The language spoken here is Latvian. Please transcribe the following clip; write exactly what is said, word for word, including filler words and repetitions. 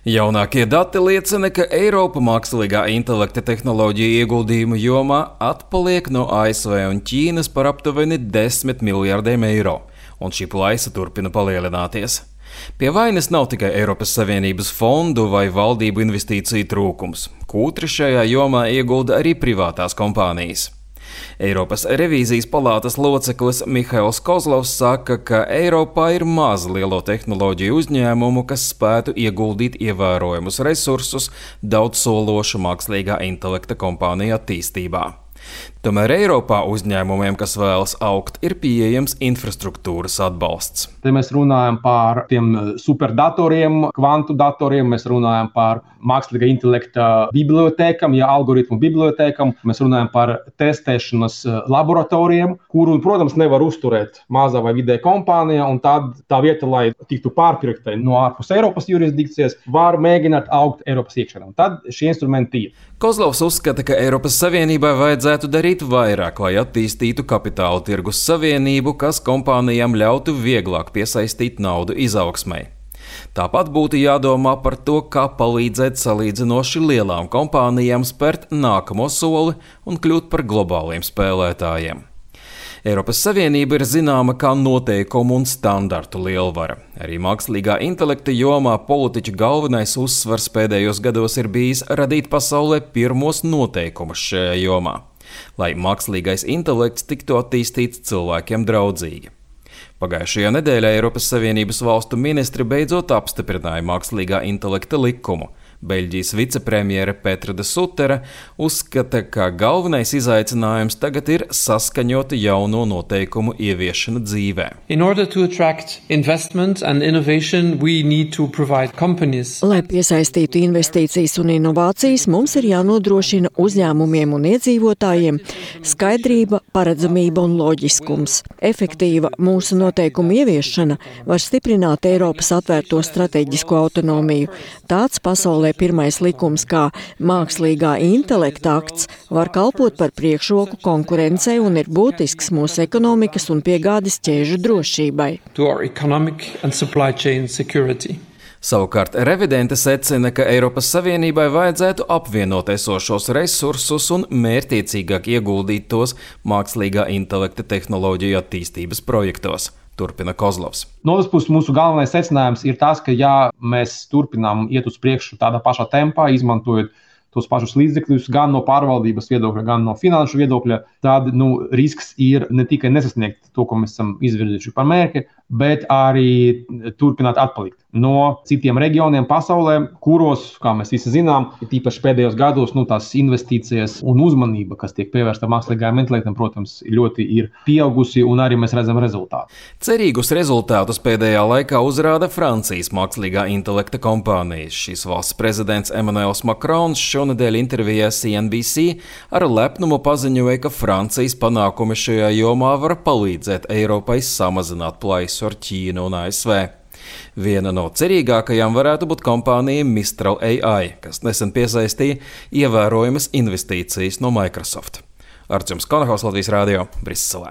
Jaunākie dati liecina, ka Eiropa mākslīgā intelekta tehnoloģiju ieguldījumu jomā atpaliek no A S V un Ķīnas par aptuveni desmit miljardiem eiro, un šī plaisa turpina palielināties. Pie vainas nav tikai Eiropas Savienības fondu vai valdību investīciju trūkums. Kūtri šajā jomā iegulda arī privātās kompānijas. Eiropas revīzijas palātas loceklis Mihails Kozlovs saka, ka Eiropā ir maz lielo tehnoloģiju uzņēmumu, kas spētu ieguldīt ievērojamus resursus daudzsološu mākslīgā intelekta kompāniju attīstībā. Tomēr Eiropā uzņēmumiem, kas vēlas augt, ir pieejams infrastruktūras atbalsts. Te mēs runājam par tiem superdatoriem, kvantu datoriem, mēs runājam par mākslīgā intelekta bibliotēkām, ja algoritmu bibliotēkām, mēs runājam par testēšanas laboratorijiem, kuru, protams, nevar uzturēt mazā vai vidēja kompānija, un tad tā vieta, lai tiktu pārpirktai no ārpus Eiropas jurisdikcijas, var mēģināt augt Eiropas iekšienā. Un tad šie instrumenti ir. Kozlovs uzskata, ka Eiropas Savienībai vajadzētu darīt vairāk, lai attīstītu kapitāla tirgus savienību, kas kompānijām ļautu vieglāk piesaistīt naudu izaugsmai. Tāpat būtu jādomā par to, kā palīdzēt salīdzinoši lielām kompānijām spērt nākamo soli un kļūt par globāliem spēlētājiem. Eiropas Savienība ir zināma kā noteikumu un standartu lielvara. Arī mākslīgā intelekta jomā politiķu galvenais uzsvars pēdējos gados ir bijis radīt pasaulē pirmos noteikumus šajā jomā, lai mākslīgais intelekts tiktu attīstīts cilvēkiem draudzīgi. Pagājušajā nedēļā Eiropas Savienības valstu ministri beidzot apstiprināja mākslīgā intelekta likumu. Beļģijas vicepremjere Petra de Suttera uzskata, ka galvenais izaicinājums tagad ir saskaņot jauno noteikumu ieviešanu dzīvē. Lai piesaistītu investīcijas un inovācijas, mums ir jānodrošina uzņēmumiem un iedzīvotājiem skaidrība, paredzamība un loģiskums. Efektīva mūsu noteikumu ieviešana var stiprināt Eiropas atvērto strateģisko autonomiju. Tāds pasaulē pirmais likums kā mākslīgā intelekta akts var kalpot par priekšroku konkurencei un ir būtisks mūsu ekonomikas un piegādes ķēžu drošībai. Savukārt revidente secina, ka Eiropas Savienībai vajadzētu apvienot esošos resursus un mērķiecīgāk ieguldīt tos mākslīgā intelekta tehnoloģiju attīstības projektos. Turpina Kozlovs. No otras puses, mūsu galvenais secinājums ir tas, ka ja mēs turpinām iet uz priekšu tādā pašā tempā, izmantojot tos pašus līdzekļus gan no pārvaldības viedokļa, gan no finanšu viedokļa, tad nu, risks ir ne tikai nesasniegt to, ko mēs esam izvirzījuši par mērķi, bet arī turpināt atpalikt no citiem reģioniem pasaulē, kuros, kā mēs visi zinām, tīpaši pēdējos gados, nu, tās investīcijas un uzmanība, kas tiek pievērsta mākslīgajam intelektam, protams, ļoti ir pieaugusi un arī mēs redzam rezultātu. Cerīgus rezultātus pēdējā laikā uzrāda Francijas mākslīgā intelekta kompānijas. Šīs valsts prezidents Emmanuels Macrons šonedēļ intervijā C N B C ar lepnumu paziņoja, ka Francijas panākumi šajā jomā var palīdzēt Eiropai samazināt plaisu ar Ķīnu un A S V. Viena no cerīgākajām varētu būt kompānija Mistral A I, kas nesen piesaistīja ievērojamas investīcijas no Microsoft. Artjums Konohaus, Latvijas radio, Briselē.